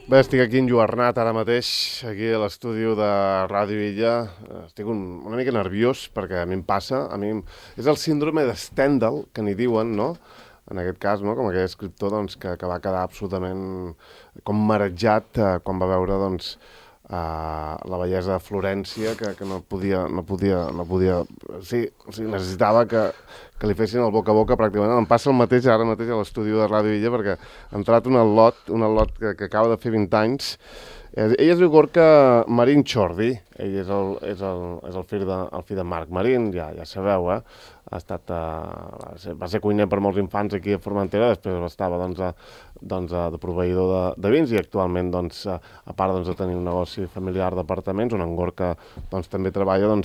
Bé, estic aquí enlluernat ara mateix, aquí a l'estudi de Ràdio Illa. Estic una mica nerviós perquè a mi em passa, és el síndrome de Stendhal, que n'hi diuen, no? En aquest cas, no? Com aquell escriptor doncs, que va quedar absolutament com marejat quan va veure doncs, la bellesa de Florència, que no podia... Sí, necessitava que li fessin el boca a boca pràcticament. Em passa el mateix ara mateix a l'estudi de Ràdio Illa perquè ha entrat un al·lot que acaba de fer 20 anys. Ell es diu Gorka Marín Chordi, ell és el fill de Marc Marín, ja sabeu, va ser cuiner per molts infants aquí a Formentera, després estava de proveïdor de vins i actualment, a part de tenir un negoci familiar d'apartaments, on en Gorka també treballa,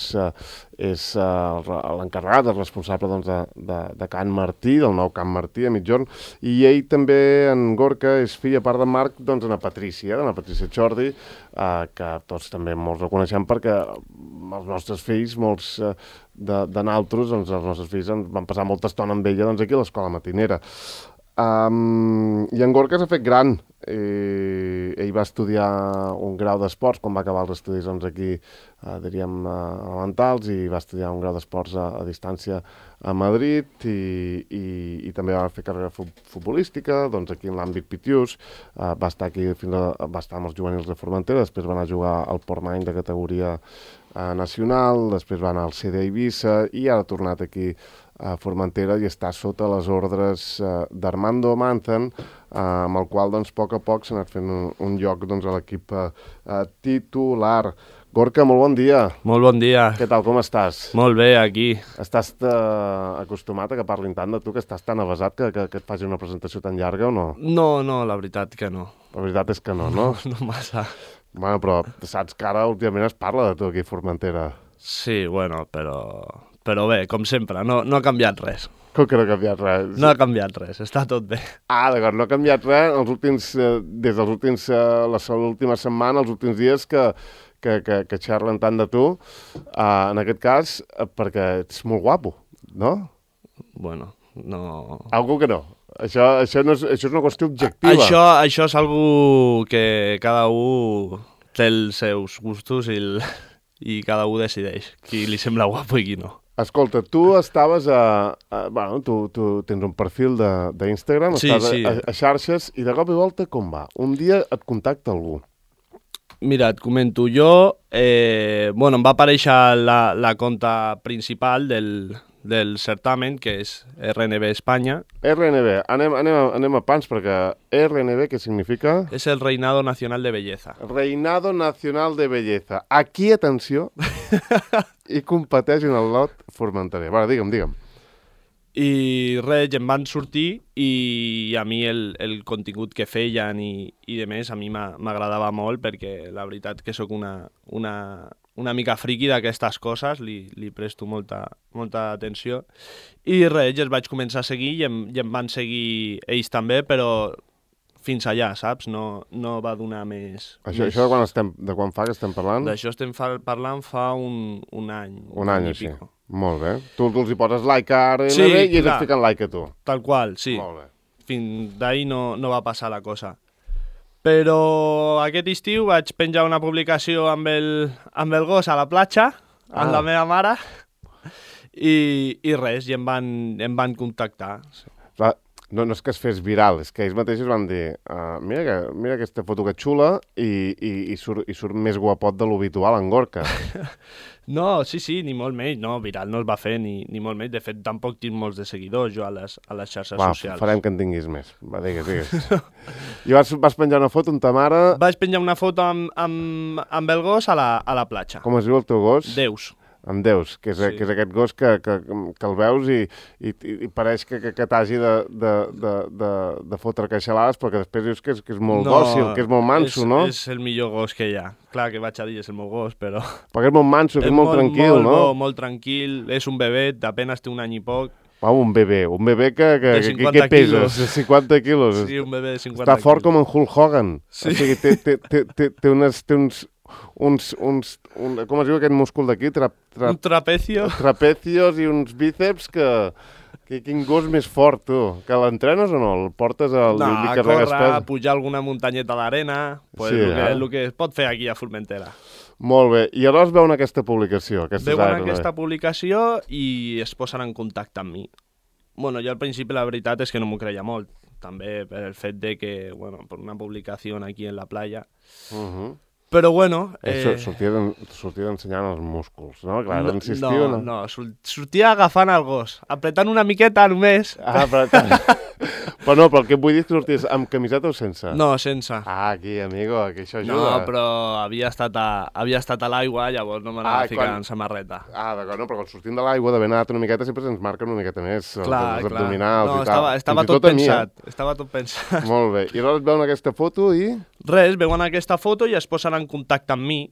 és l'encarregat, el responsable de Can Martí, del nou Can Martí a Migjorn, i ell també, en Gorka, és fill, a part de Marc, d'una Patrícia Chordi, que tots també molts el coneixem perquè els nostres fills, molts de naltros, els nostres fills van passar molta estona amb ella aquí a l'escola matinera. I en Gorka s'ha fet gran. Ell va estudiar un grau d'esports quan va acabar els estudis aquí, diríem, elementals, i va estudiar un grau d'esports a distància a Madrid i també va fer carrera futbolística aquí en l'àmbit pitiús. Va estar amb els juvenils de Formentera, després va anar a jugar al Portmany de categoria nacional, després va anar al CD Eivissa i ara ha tornat aquí a Formentera i està sota les ordres d'Armando Manzan, amb el qual, a poc a poc, s'ha anat fent un lloc a l'equip titular. Gorka, molt bon dia. Molt bon dia. Què tal, com estàs? Molt bé, aquí. Estàs acostumat a que parlin tant de tu, que estàs tan avasat que et faci una presentació tan llarga o no? No, la veritat que no. La veritat és que no, no? No massa. Bueno, però saps que ara últimament es parla de tu aquí a Formentera. Sí, bueno, però bé, com sempre, no ha canviat res. Com que no ha canviat res? No ha canviat res, està tot bé. D'acord, no ha canviat res des l'última setmana, els últims dies que xerren tant de tu, en aquest cas, perquè ets molt guapo, no? Bueno, no... Algú que no. Això és una qüestió objectiva. Això és algo que cada un té els seus gustos i cada un decideix qui li sembla guapo i qui no. Escolta, tu estaves tu tens un perfil d'Instagram, estàs a xarxes, i de cop i volta com va? Un dia et contacta algú. Mira, et comento, em va aparèixer la compta principal del certamen, que és RNB Espanya. RNB, anem a pans, perquè RNB, què significa? És el Reinado Nacional de Belleza. Reinado Nacional de Belleza. Aquí, atenció, i competeix en el lot formenterer. Va, digue'm. I res, em van sortir i a mi el contingut que feien i de més a mi m'agradava molt perquè la veritat que sóc una mica friqui d'aquestes coses, li presto molta atenció. I res, els vaig començar a seguir i em van seguir ells també, però fins allà, saps? No va donar més... Això de quan fa que estem parlant? D'això estem parlant fa un any. Un any, sí. Molt bé. Tu els hi poses like a RNB i ells et fiquen like a tu. Tal qual, sí. Molt bé. Fins d'ahir no va passar la cosa. Però aquest estiu vaig penjar una publicació amb el gos a la platja, amb la meva mare, i res, i em van contactar. No és que es fes viral, és que ells mateixos van dir mira aquesta foto que xula i surt més guapot de l'habitual en Gorka. No, sí, ni molt menys. No, viral no es va fer ni molt menys. De fet, tampoc tinc molts de seguidors jo a les xarxes socials. Farem que en tinguis més. Va, digues. I vas penjar una foto amb ta mare... Vaig penjar una foto amb el gos a la platja. Com es diu el teu gos? Deus. Amb Deus, que és aquest gos que el veus i pareix que t'hagi de fotre queixalades, perquè després dius que és molt dòcil, que és molt manso, no? És el millor gos que hi ha. Clar que vaig a dir és el meu gos, però... Perquè és molt manso, que és molt tranquil, no? Molt tranquil, és un bebè, apenas té un any i poc. Un bebè que pesa? 50 quilos. Sí, un bebè de 50 quilos. Està fort com en Hulk Hogan. Sí. O sigui, té uns com es diu aquest múscul d'aquí? Un trapecio. Trapecios i uns bíceps que Quin gos més fort, tu. Que l'entrenes o no? El portes al... No, a córrer, pujar alguna muntanyeta d'arena, pues Sí, el que es pot fer aquí a Formentera. Molt bé. I llavors veuen aquesta publicació. Veuen aquesta publicació i es posen en contacte amb mi. Bueno, jo al principi la veritat és que no m'ho creia molt. També per el fet de que, bueno, per una publicació aquí en la playa... Però bueno... Sortia d'ensenyant els músculs, no? Clar, insistiu, no? No, sortia agafant el gos, apretant una miqueta només. Ah, però no, però el que vull dir és que sorties amb camiseta o sense? No, sense. Ah, aquí, amigo, que això ajuda. No, però havia estat a l'aigua, llavors no m'anava a ficar en samarreta. Ah, d'acord, no, però quan sortim de l'aigua, d'haver nedat una miqueta, sempre se'ns marca una miqueta més. Clar. Els abdominals i tal. Estava tot pensat. Estava tot pensat. Molt bé. I llavors veuen aquesta foto i... Res, veuen aquesta foto i es posen en contacte amb mi.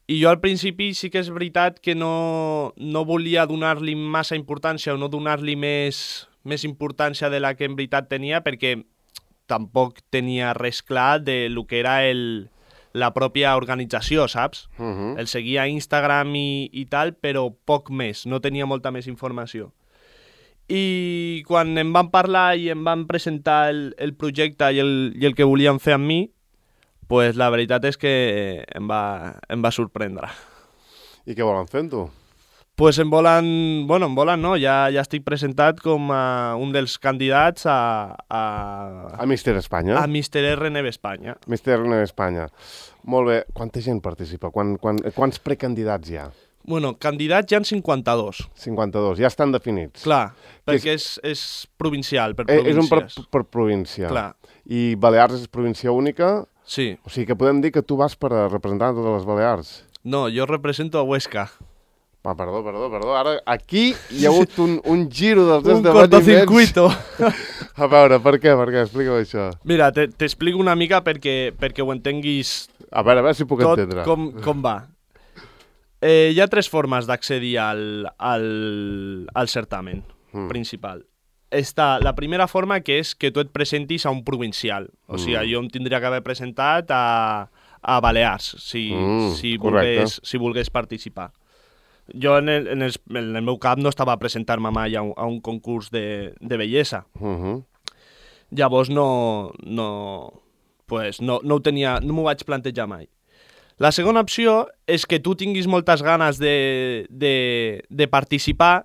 I jo al principi sí que és veritat que no volia donar-li massa importància o no donar-li més importància de la que en veritat tenia, perquè tampoc tenia res clar de lo que era la pròpia organització, saps? El seguia a Instagram i tal, però poc més, no tenia molta més informació. I quan em van parlar i em van presentar el projecte i el que volien fer amb mi, pues la veritat és que em va sorprendre. I què volen fer amb tu? Pues em volen no, ja estic presentat com un dels candidats a Míster Espanya. A Míster RNB Espanya. Míster RNB Espanya. Molt bé. Quanta gent participa? Quants precandidats hi ha? Bueno, candidats hi ha 52. 52, ja estan definits. Clar, perquè és provincial, per províncies. És un per província. Clar. I Balears és província única? Sí. O sigui que podem dir que tu vas per representar totes les Balears. No, jo represento a Huesca. Perdó. Ara, aquí hi ha hagut un giro dels esdeveniments. Un cortocircuito. A veure, per què? Explica-ho això. Mira, t'explico una mica perquè ho entenguis. A veure si puc entendre. Com va. Hi ha 3 formes d'accedir al certamen principal. Està la primera forma, que és que tu et presentis a un provincial. O sigui, jo em tindria que haver presentat a Balears, si volgués participar. Jo en el meu cap no estava a presentar-me mai a un concurs de bellesa. Llavors no m'ho vaig plantejar mai. La segona opció és que tu tinguis moltes ganes de participar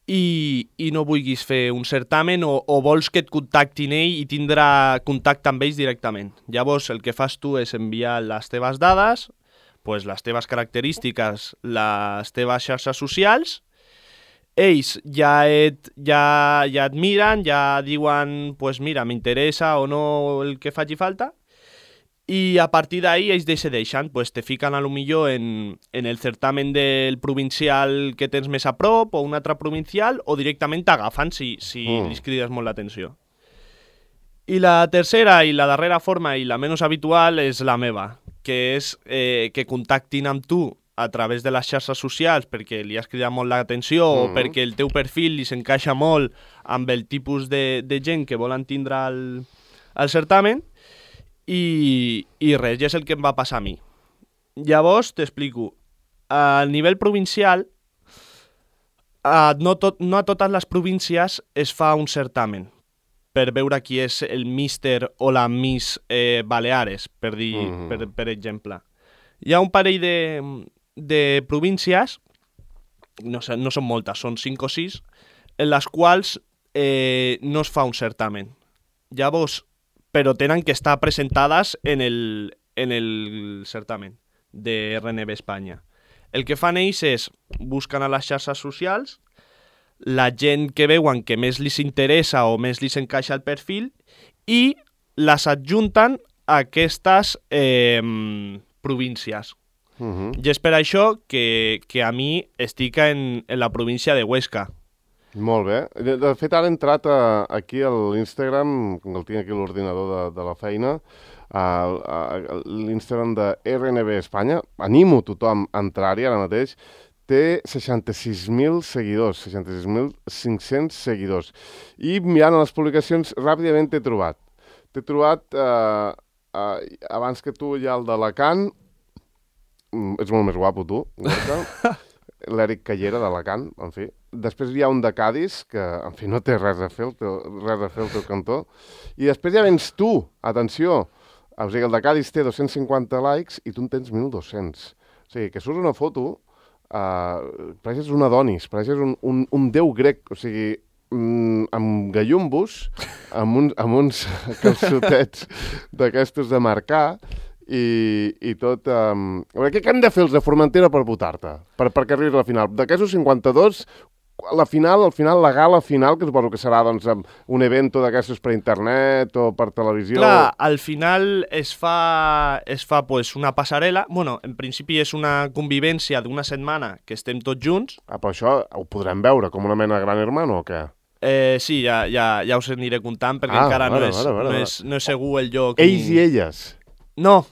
i no vulguis fer un certamen o vols que et contactin ell i tindrà contacte amb ells directament. Llavors el que fas tu és enviar les teves dades, pues les teves característiques, les teves xarxes socials, ells ja et miren, ja diuen, pues mira, m'interessa o no el que faci falta, i a partir d'ahí ells decideixen, pues te fiquen a lo millor en el certamen del provincial que tens més a prop o un altre provincial, o directament t'agafen si li crides molt l'atenció. I la tercera i la darrera forma i la menys habitual és la meva, que és que contactin amb tu a través de les xarxes socials perquè li has cridat molt l'atenció o perquè el teu perfil li s'encaixa molt amb el tipus de gent que volen tindre al certamen. I res, ja és el que em va passar a mi. Llavors, t'explico. A nivell provincial, no a totes les províncies es fa un certamen per veure qui és el míster o la miss Baleares, per exemple. Hi ha un parell de províncies, no són moltes, són 5 o 6, en les quals no es fa un certamen. Llavors, però tenen que estar presentades en el certamen de RNB Espanya. El que fan ells és busquen a les xarxes socials la gent que veuen que més li interessa o més li encaixa el perfil i les adjunten a aquestes províncies. I és per això que a mi estic en la província de Huesca. Molt bé. De fet, ara he entrat aquí a l'Instagram, el tinc aquí a l'ordinador de la feina, l'Instagram de RNB Espanya. Animo tothom a entrar-hi ara mateix. Té 66.000 seguidors, 66.500 seguidors. I mirant les publicacions, ràpidament t'he trobat. T'he trobat, abans que tu, ja el d'Alacant. Ets molt més guapo, tu, Gorka. L'Eric Callera d'Alacant, en fi. després hi ha un de Cádiz, que, en fi, no té res a fer el teu cantó, i després ja vens tu, atenció, o sigui, el de Cádiz té 250 likes i tu en tens 1.200. O sigui, que surts una foto, pareixes un Adonis, pareixes un déu grec, o sigui, amb gallumbos, amb uns calçotets d'aquestos de marcar, i tot... Què hem de fer els de Formentera per votar-te? Perquè arribis a la final. D'aquests 52, al final, la gala final, que suposo que serà doncs, un evento d'aquestos per internet o per televisió... Clar, al final es fa pues, una passarel·la. Bueno, en principi és una convivència d'una setmana que estem tots junts. Però això ho podrem veure com una mena de Gran Hermano o què? Sí, ja us aniré contant perquè encara no és segur el lloc. Ells i elles? No.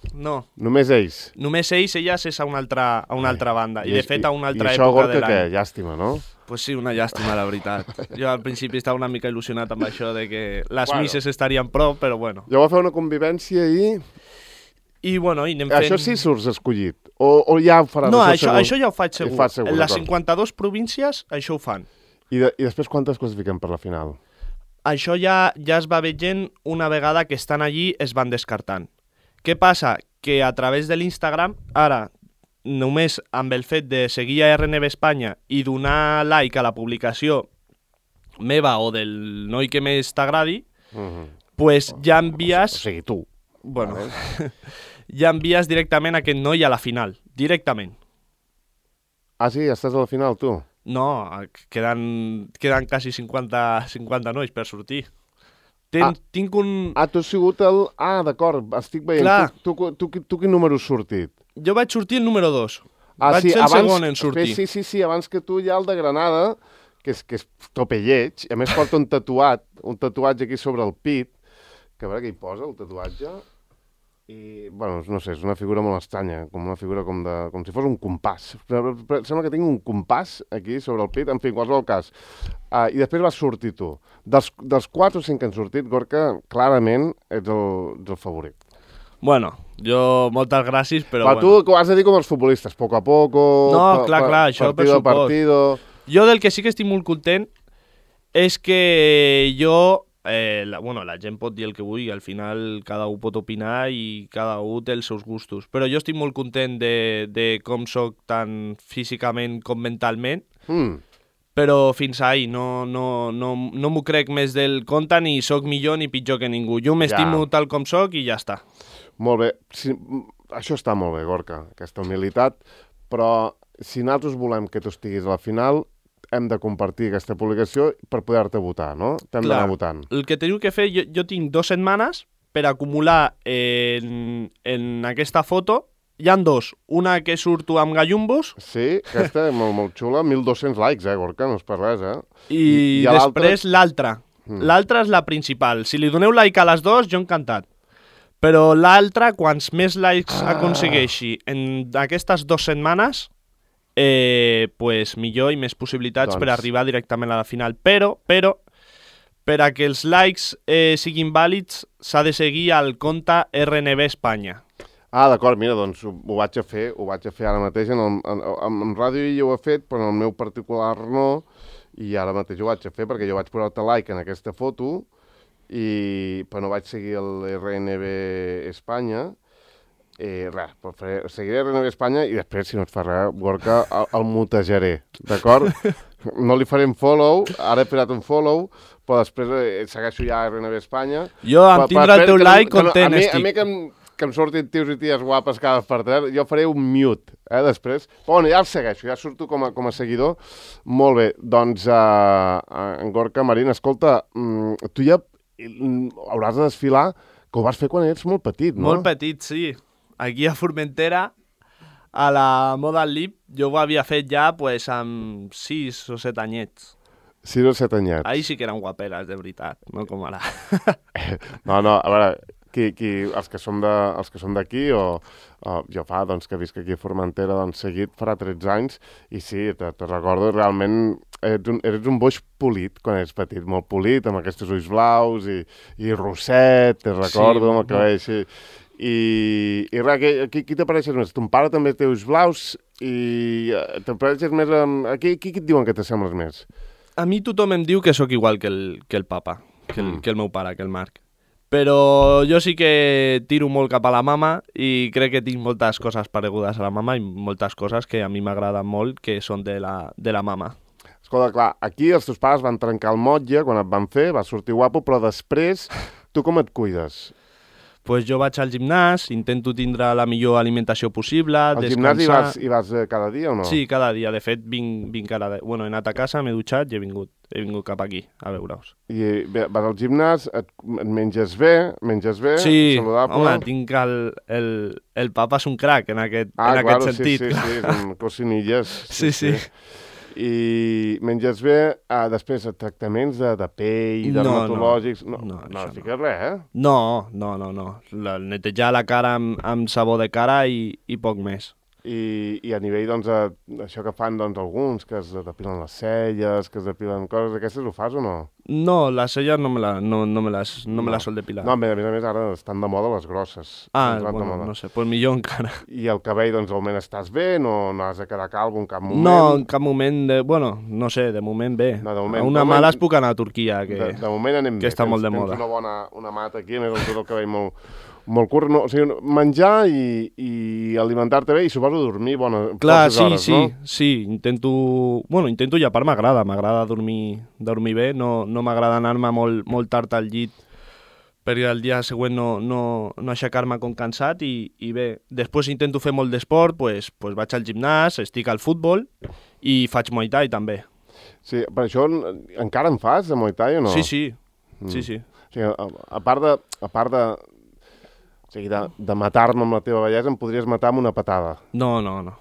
Només ells? Només ells és a una altra banda. I de fet a una altra època de l'any. I això, Gorka, què? Llàstima, no? Pues sí, una llàstima, la veritat. Jo al principi estava una mica il·lusionat amb això de que les misses estarien prop, però bueno. Jo vaig fer una convivència i... I bueno, i anem fent... Això sí surts escollit? O ja ho faràs? No, això ja ho faig segur. Segur en les 52 províncies això ho fan. I després quantes classifiquen per la final? Això ja es va veient una vegada que estan allí es van descartant. Què passa? Que a través de l'Instagram, ara, només amb el fet de seguir a RNB Espanya i donar like a la publicació meva o del noi que més t'agradi, pues ja envies... O sigui, tu. Bueno, ja envies directament aquest noi a la final, directament. Ah, sí? Estàs a la final, tu? No, queden quasi 50 nois per sortir. Tinc un... tu has sigut el... d'acord, estic veient. Clar. Tu quin número has sortit? Jo vaig sortir el número 2. Vaig ser el segon en sortir. Sí, abans que tu hi ha el de Granada, que és tope lleig, i a més porta un tatuatge aquí sobre el pit, que a veure què hi posa, el tatuatge, i, bueno, no sé, és una figura molt estranya, com una figura com si fos un compàs. Sembla que tinc un compàs aquí sobre el pit, en fi, en qualsevol cas. I després vas sortir tu. Dels 4 o 5 que han sortit, Gorka, clarament ets el favorit. Bueno, jo moltes gràcies, però bueno. Tu ho has de dir com els futbolistes, poco a poco... No, clar, això per supost. Partido... Jo del que sí que estic molt content és que jo... la gent pot dir el que vulgui, al final cada un pot opinar i cada un té els seus gustos, però jo estic molt content de com soc tant físicament com mentalment, però fins ahí no m'ho crec més del compte, ni soc millor ni pitjor que ningú. Jo m'estimo tal com soc i ja està. Molt bé, això està molt bé, Gorka, aquesta humilitat, però si nosaltres volem que tu estiguis a la final, hem de compartir aquesta publicació per poder-te votar, no? T'hem d'anar votant. El que teniu que fer, jo tinc 2 setmanes per acumular en aquesta foto. Hi ha 2. Una que surto amb gallumbos. Sí, aquesta és molt xula. 1.200 likes, Gorka, no és per res, I després l'altra. L'altra és la principal. Si li doneu like a les 2, jo encantat. Però l'altra, quants més likes aconsegueixi en aquestes 2 setmanes... pues millor i més possibilitats per arribar directament a la final. Però per a que els likes siguin vàlids s'ha de seguir al compte RNB Espanya. D'acord, mira, doncs ho vaig a fer ara mateix. En ràdio jo ho he fet, però en el meu particular no, i ara mateix ho vaig a fer perquè jo vaig posar-te like en aquesta foto, però no vaig seguir el RNB Espanya. Seguiré RNB Espanya i després, si no et fa res, Gorka, el mutejaré, d'acord? No li farem follow, ara he posat un follow, però després segueixo ja RNB Espanya. Jo em tindrà el teu like content, estic. A mi que em surtin tios i ties guapes cada per tres, jo faré un mute, després. Però bueno, ja el segueixo, ja surto com a seguidor. Molt bé, doncs, en Gorka Marín, escolta, tu ja hauràs de desfilar, que ho vas fer quan eres molt petit, no? Molt petit, sí. Aquí a Formentera, a la Model Lib, jo ho havia fet ja pues, amb 6 o 7 anyets. 6 o 7 anyets. Ahí sí que eren guaperes, de veritat, no com ara. No, a veure, els que som d'aquí, o jo fa doncs, que visc aquí a Formentera, doncs seguit farà 13 anys, i sí, te recordo realment, eres un boix polit quan eres petit, molt polit, amb aquests ulls blaus i rosset, te recordo, amb el cabell així. I res, qui t'apareixes més? Ton pare també té ulls blaus I t'apareixes més amb... Qui et diuen que t'assembles més? A mi tothom em diu que sóc igual que el papa, que el meu pare, que el Marc. Però jo sí que tiro molt cap a la mama i crec que tinc moltes coses paregudes a la mama i moltes coses que a mi m'agraden molt que són de la mama. Escolta, clar, aquí els teus pares van trencar el motlle quan et van fer, vas sortir guapo, però després tu com et cuides? Pues jo vaig al gimnàs, intento tindre la millor alimentació possible, Al descansar... Al gimnàs hi vas cada dia o no? Sí, cada dia. De fet, vinc cada dia. Bueno, he anat a casa, m'he dutxat i he vingut cap aquí, a veure-us. I vas al gimnàs, et menges bé, sí, saludable... home, tinc el papa és un crac en aquest sentit. Sí, són cocinilles. Sí. I menges bé, després tractaments de pell, dermatològics... No fiques res, eh? No. Netejar la cara amb sabó de cara i poc més. I a nivell, doncs, això que fan doncs, alguns, que es depilen les celles, que es depilen coses, aquestes ho fas o no? No, les celles no me les sol depilar. No, a més ara estan de moda les grosses. Bueno, no sé, pues millor encara. I el cabell, doncs, al moment estàs bé? No has de quedar calvo en cap moment? No, en cap moment, no sé, de moment bé. No, de moment, a una mala es puc anar a Turquia, que moment anem que bé. Està molt de moda. Tens una mata aquí, a més el cabell molt curt, no, o sigui, menjar i alimentar-te bé i suposo dormir poques hores, no? Sí, intento llepar, m'agrada dormir bé, no m'agrada anar-me molt tard al llit perquè el dia següent no aixecar-me com cansat i bé, després intento fer molt d'esport, pues vaig al gimnàs, estic al futbol i faig Muay Thai també. Sí, per això encara en fas de Muay Thai o no? Sí. O sigui, a part de matar-me amb la teva bellesa, em podries matar amb una patada. No. No?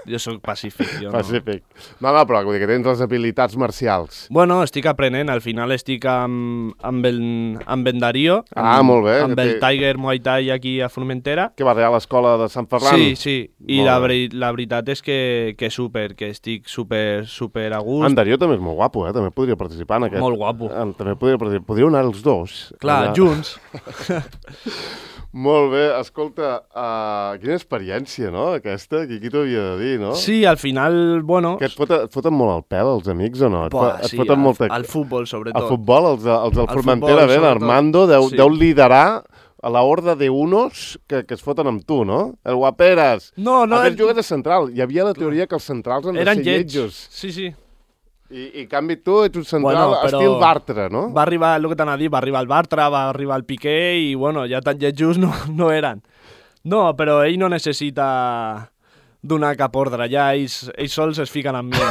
Jo sóc pacífic. Pacífic. No, però vull dir que tens les habilitats marcials. Bueno, estic aprenent. Al final estic amb en Darío. Molt bé. Amb el Tiger Muay Thai aquí a Formentera. Que va a l'escola de Sant Ferran? Sí. I la veritat és que estic super a gust. En Darío també és molt guapo, També podria participar en aquest. Molt guapo. També podria anar els dos. Clar, junts. Molt bé, escolta, quina experiència, no, aquesta? Qui t'ho havia de dir, no? Sí, al final, bueno... Que et foten molt el pèl, els amics, o no? Sí, al futbol, sobretot. Al futbol, els del Formentera, bé, l'Armando deu liderar a la horda d'unos que es foten amb tu, no? El guaperes. No. A més, jugues de central. Hi havia la teoria que els centrals han de ser lletjos. Sí. I en canvi tu ets un central estil Bartra, no? Va arribar, el que t'anava a dir, va arribar el Bartra, va arribar el Piqué i, bueno, ja tan lletjos no eren. No, però ell no necessita donar cap ordre, ja ells sols es fiquen amb mi,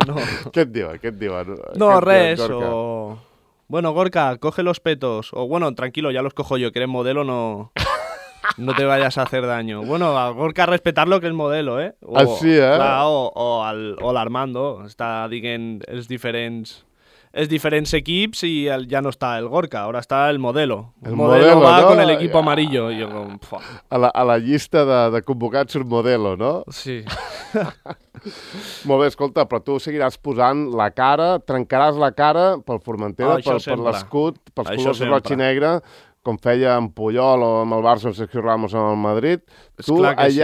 no. Què et diuen? No, res, o... Bueno, Gorka, coge los petos. O, bueno, tranquilo, ya los cojo yo, que eres modelo, no te vayas a hacer daño. Bueno, a Gorka respetar lo que es modelo, ¿eh? Así, ¿eh? Clar, o l'Armando. Està dient els diferents equips i ja no està el Gorka, ahora está el modelo. El modelo va con el equipo amarillo. I jo com... A la llista de convocats surt modelo, no? Sí. Molt bé, escolta, però tu seguiràs posant la cara, trencaràs la cara pel Formentera, per l'escut, pels colors roig i negre, com feia en Puyol o amb el Barça o Sergio Ramos amb el Madrid. Tu allà... Sí.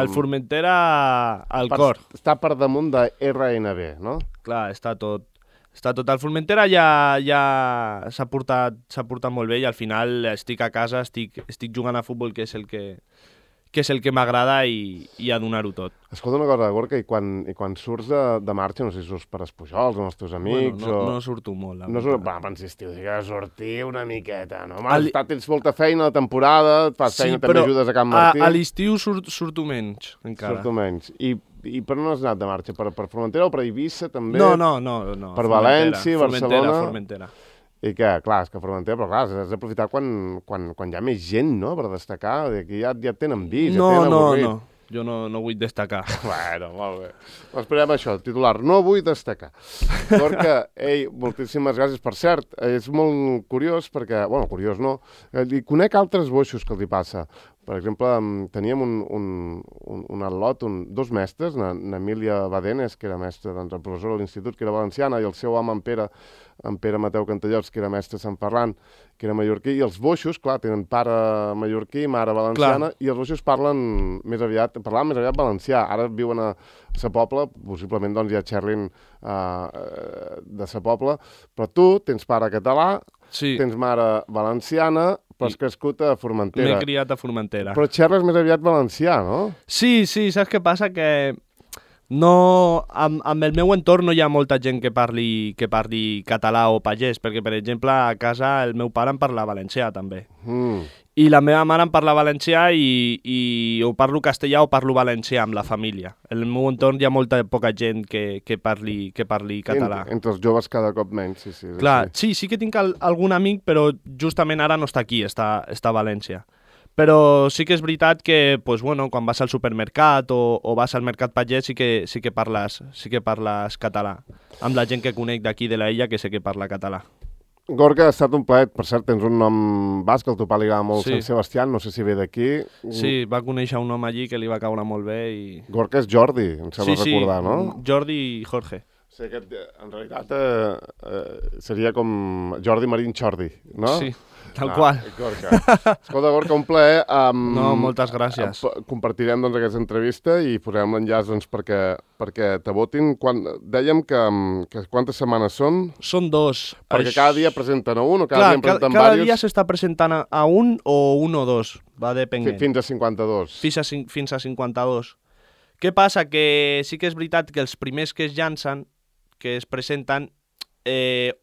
El Formentera al cor. Està per damunt de RNB, no? Clar, està tot. El Formentera ja s'ha portat molt bé i al final estic a casa, estic jugant a futbol, que és el que m'agrada i a donar-ho tot. Escolta una cosa, Gorka, i quan surts de marxa, no sé si surts per Espujols amb els teus amics... Bueno, no surto molt. Però si estiu, que sortir una miqueta, no? Tens molta feina a la temporada, et fas feina, també ajudes a Can Martí... A l'estiu surto menys, encara. Surto menys. I per on has anat de marxa? Per Formentera o per Eivissa, també? No. Per València, Barcelona... Formentera. I que, clar, és que Formentera, però clar, has d'aprofitar quan hi ha més gent, no?, per destacar, que ja et tenen vist, ja tenen avorrit. No, jo no vull destacar. Bueno, molt bé. Esperem això, titular, no vull destacar. Gorka, moltíssimes gràcies. Per cert, és molt curiós perquè, bueno, curiós no, conec altres boixos que els hi passa. Per exemple, teníem un atlot, dos mestres, n'Emília Badenes, que era mestra, doncs, professora a l'institut, que era valenciana, i el seu home, en Pere Mateu Cantallots, que era mestre a Sant Ferran, que era mallorquí, i els boixos, clar, tenen pare mallorquí, mare valenciana, i els boixos parlaven més aviat valencià. Ara viuen a Sa Pobla, possiblement doncs, hi ha xerrin de Sa Pobla, però tu tens pare català, tens mare valenciana, però has crescut a Formentera. M'he criat a Formentera. Però xerres més aviat valencià, no? Sí, saps què passa? Que no, amb el meu entorn no hi ha molta gent que parli català o pagès, perquè, per exemple, a casa el meu pare em parla valencià, també. I la meva mare em parla valencià i o parlo castellà o parlo valencià amb la família. En el meu entorn hi ha poca gent que parli català. Entre els joves cada cop menys, sí. Clar, sí que tinc algun amic, però justament ara no està aquí, està a València. Però sí que és veritat que pues, bueno, quan vas al supermercat o vas al mercat pagès sí que parles català. Amb la gent que conec d'aquí de l'illa que sé que parla català. Gorka, ha estat un plaer. Per cert, tens un nom basc, el teu pare li agrada molt, Sant Sebastián, no sé si ve d'aquí. Sí, va conèixer un home allí que li va caure molt bé. Gorka és Jordi, em sembla recordar, no? Jordi i Jorge. Sí, en realitat seria com Jordi Marín Chordi, no? Sí, tal qual. Gorka. Escolta, Gorka, un plaer. No, moltes gràcies. Compartirem doncs, aquesta entrevista i posarem l'enllaç doncs, perquè te votin. Dèiem que quantes setmanes són? Són 2. Perquè cada dia presenten a un o cada dia en presenten cada diversos? Dia s'està presentant a un o 2, va depenent. Fins a 52. Fins a 52. Què passa? Que sí que és veritat que els primers que es llancen, que es presenten,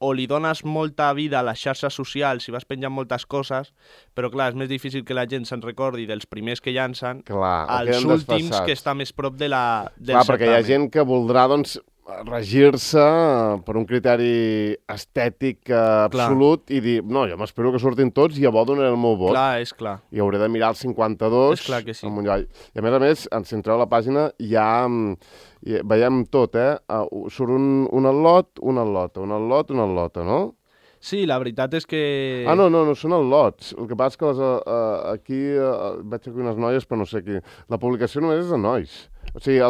o li dones molta vida a les xarxes socials i vas penjant moltes coses, però clar, és més difícil que la gent se'n recordi dels primers que llancen als últims que està més prop del certamen. Perquè hi ha gent que voldrà doncs, regir-se per un criteri estètic absolut i dir, no, jo m'espero que surtin tots i llavors donaré el meu vot. Clar, és clar. I hauré de mirar els 52. És clar que sí. I a més, si entreu a la pàgina, veiem tot, surt un atlot, no? Sí, la veritat és que... No, són atlots. El que passa és que aquí veig aquí unes noies, però no sé qui. La publicació només és de nois. O sigui,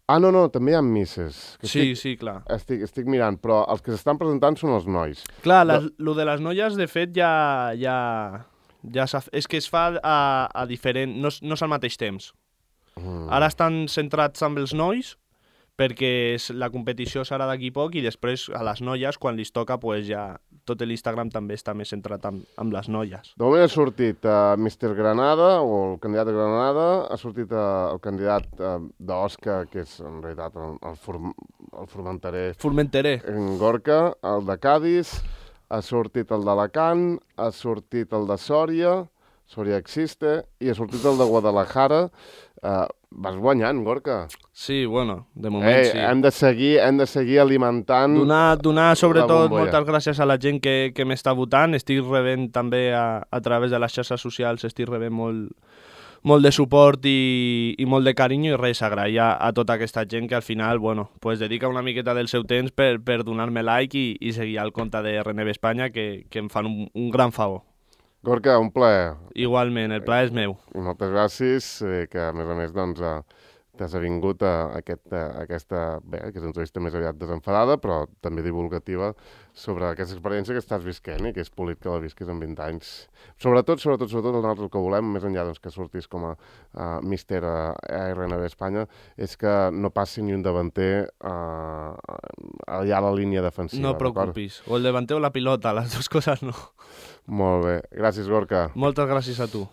no, també hi ha misses. Sí, clar. Estic mirant, però els que s'estan presentant són els nois. Clar, lo de les noies, de fet, ja és que es fa a diferent... No és al mateix temps. Ara estan centrats amb els nois, perquè la competició serà d'aquí poc i després a les noies, quan li toca, pues ja tot l'Instagram també està més centrat amb les noies. De moment ha sortit Mr. Granada, o el candidat de Granada, ha sortit el candidat d'Osca, que és en realitat el formenterer. En Gorka, el de Cádiz, ha sortit el d'Alacant, ha sortit el de Sòria Existe, i ha sortit el de Guadalajara. Vas guanyant, Gorka. Sí, bueno, de moment sí. Hem de seguir alimentant... Donar sobretot moltes gràcies a la gent que m'està votant. Estic rebent també a través de les xarxes socials, estic rebent molt de suport i molt de carinyo, i res, agrair a tota aquesta gent que al final, pues dedica una miqueta del seu temps per donar-me like i seguir al compte de RNB Espanya, que em fan un gran favor. Gorka, un plaer. Igualment, el plaer és meu. I moltes gràcies, que a més doncs, t'has avingut a aquesta entrevista més aviat desenfadada, però també divulgativa sobre aquesta experiència que estàs visquent i que és polit que la visquis en 20 anys. Sobretot, nosaltres el que volem, més enllà doncs, que sortis com a míster a RNB Espanya, és que no passi ni un davanter allà a la línia defensiva. No preocupis. O el davanter o la pilota, les dues coses no. Molt bé. Gràcies, Gorka. Moltes gràcies a tu.